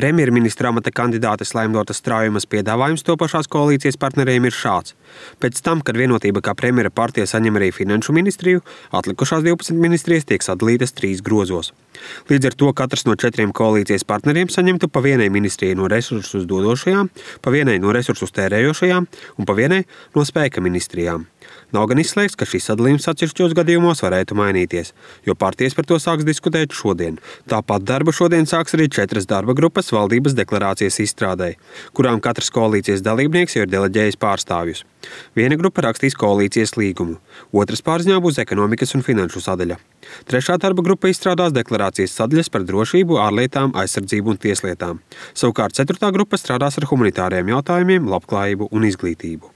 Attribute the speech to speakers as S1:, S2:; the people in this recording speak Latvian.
S1: Premjerministra amata kandidātes Laimdotas Straujumas piedāvājums topošās koalīcijas partneriem ir šāds. Pēc tam, kad Vienotība kā premjera partija saņem arī finanšu ministriju, atlikušās 12 ministrijas tiek sadalītas 3 grozos. Līdz ar to katrs no 4 koalīcijas partneriem saņemtu pa vienai ministrijai no resursus dodošajām, pa vienai no resursus tērējošajām un pa vienai no spēka ministrijām. Nav gan izslēgts, ka šis sadalījums atsevišķos gadījumos varētu mainīties, jo partijas par to sāks diskutēt šodien. Tāpat darbu šodien sāks arī 4 darba grupas valdības deklarācijas izstrādē, kurām katrs koalīcijas dalībnieks jau ir deleģējis pārstāvjus. Viena grupa rakstīs koalīcijas līgumu, otras pārziņā būs ekonomikas un finanšu sadaļa. 3. darba grupa izstrādās deklarācijas sadaļas par drošību, ārlietām, aizsardzību un tieslietām. Savukārt 4. grupa strādās ar humanitāriem jautājumiem, labklājību un izglītību.